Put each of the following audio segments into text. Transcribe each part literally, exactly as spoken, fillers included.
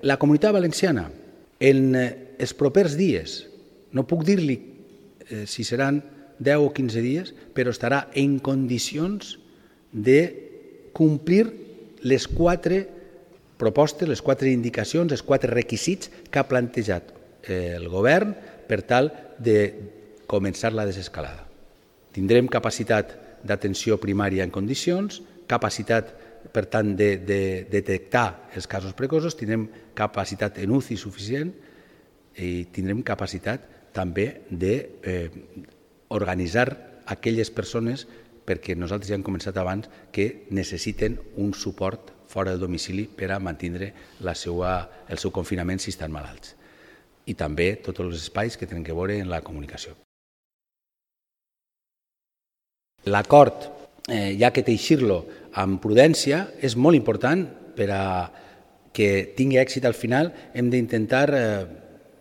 La Comunitat Valenciana, en els propers dies, no puc dir-li eh, si seran deu o quinze dies, però estarà en condicions de complir les quatre propostes, les quatre indicacions, els quatre requisits que ha plantejat el govern per tal de començar la desescalada. Tindrem capacitat d'atenció primària en condicions, capacitat, per tant, de, de detectar els casos precoços, tindrem capacitat en U C I suficient i tindrem capacitat també d'organitzar eh, aquelles persones, perquè nosaltres ja hem començat abans, que necessiten un suport fora del domicili per a mantenir la seva, el seu confinament si estan malalts. I també tots els espais que tenen que veure en la comunicació. L'acord, eh, ja que teixir-lo amb prudència, és molt important per a que tingui èxit al final. Hem d'intentar eh,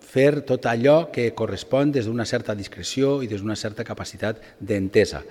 fer tot allò que correspon des d'una certa discreció i des d'una certa capacitat d'entesa.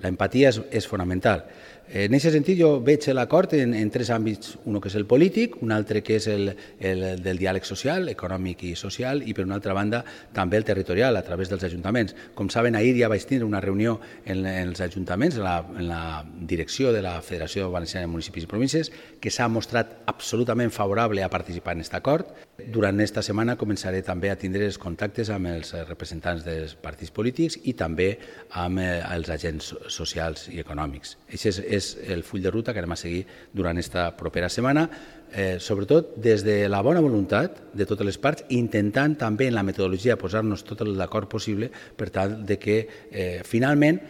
L'empatia és, és fonamental. En aquest sentit, jo veig l'acord en, en tres àmbits, un que és el polític, un altre que és el, el del diàleg social, econòmic i social, i per una altra banda també el territorial, a través dels ajuntaments. Com saben, ahir ja vaig tenir una reunió en, en els ajuntaments, en la, en la direcció de la Federació Valenciana de Municipis i Províncies, que s'ha mostrat absolutament favorable a participar en aquest acord. Durant aquesta setmana començaré també a tindre els contactes amb els representants dels partits polítics i també amb els agents socials i econòmics. Això és, és el full de ruta que anem a seguir durant aquesta propera setmana, eh, sobretot des de la bona voluntat de totes les parts, intentant també en la metodologia posar-nos tot l'acord possible per tal de que eh, finalment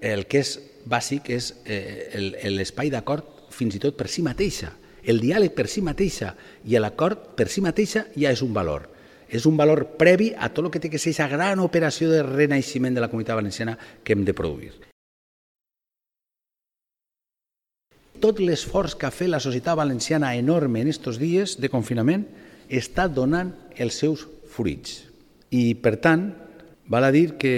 el que és bàsic és eh, l'espai d'acord fins i tot per si mateixa. El diàleg per si mateixa i l'acord per si mateixa ja és un valor. És un valor previ a tot el que té que ser aquesta gran operació de renaixement de la Comunitat Valenciana que hem de produir. Tot l'esforç que ha fet la societat valenciana enorme en aquests dies de confinament està donant els seus fruits. I, per tant, val a dir que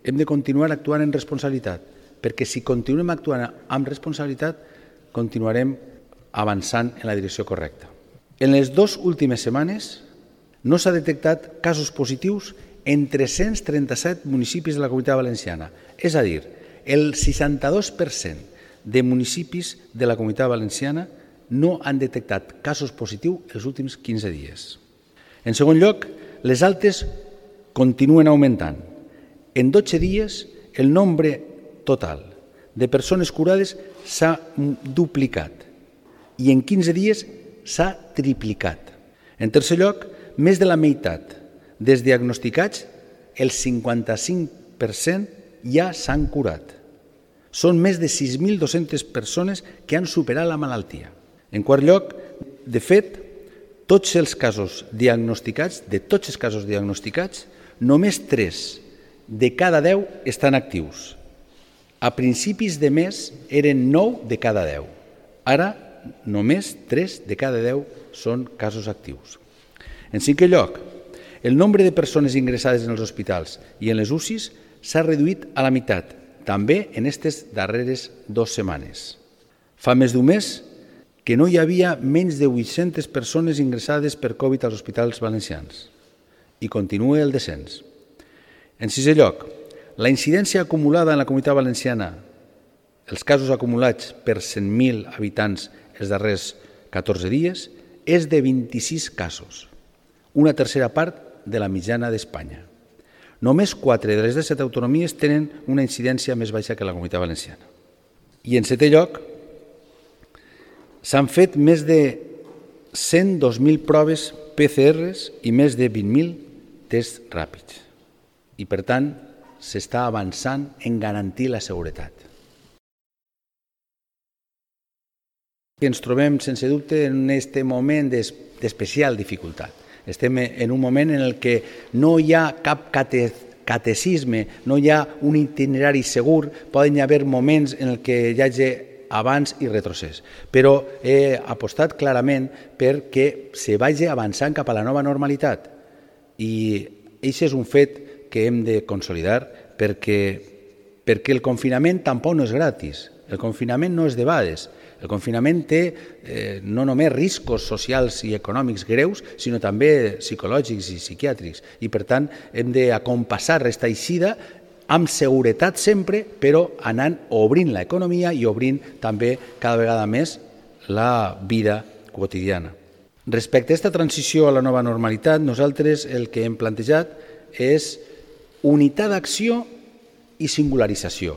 hem de continuar actuant en responsabilitat, perquè si continuem actuant amb responsabilitat, continuarem avançant en la direcció correcta. En les dues últimes setmanes no s'ha detectat casos positius en tres-cents trenta-set municipis de la Comunitat Valenciana. És a dir, el seixanta-dos per cent de municipis de la Comunitat Valenciana no han detectat casos positius els últims quinze dies. En segon lloc, les altes continuen augmentant. En dotze dies, el nombre total de persones curades s'ha duplicat i en quinze dies s'ha triplicat. En tercer lloc, més de la meitat dels diagnosticats, el cinquanta-cinc per cent ja s'han curat. Són més de sis mil dues-centes persones que han superat la malaltia. En quart lloc, de fet, tots els casos diagnosticats, de tots els casos diagnosticats, només tres de cada deu estan actius. A principis de mes eren nou de cada deu. Ara, només tres de cada deu són casos actius. En cinquè lloc, el nombre de persones ingressades en els hospitals i en les U C Is s'ha reduït a la meitat, també en aquestes darreres dues setmanes. Fa més d'un mes que no hi havia menys de vuit-centes persones ingressades per Covid als hospitals valencians i continua el descens. En sisè lloc, la incidència acumulada en la Comunitat Valenciana, els casos acumulats per cent mil habitants els darrers catorze dies, és de vint-i-sis casos, una tercera part de la mitjana d'Espanya. Només quatre de les disset autonomies tenen una incidència més baixa que la Comunitat Valenciana. I en setè lloc, s'han fet més de cent dos mil proves P C Rs i més de vint mil tests ràpids. I, per tant, s'està avançant en garantir la seguretat. Ens trobem, sense dubte, en aquest moment d'especial dificultat. Estem en un moment en el que no hi ha cap catecisme, no hi ha un itinerari segur, poden haver moments en el que hi hagi avanç i retrocés. Però he apostat clarament perquè se vagi avançant cap a la nova normalitat. I això és un fet que hem de consolidar perquè, perquè el confinament tampoc no és gratis. El confinament no és debades. El confinament té eh, no només riscos socials i econòmics greus, sinó també psicològics i psiquiàtrics. I, per tant, hem d'acompassar aquesta eixida amb seguretat sempre, però anant obrint l'economia i obrint també cada vegada més la vida quotidiana. Respecte a aquesta transició a la nova normalitat, nosaltres el que hem plantejat és unitat d'acció i singularització.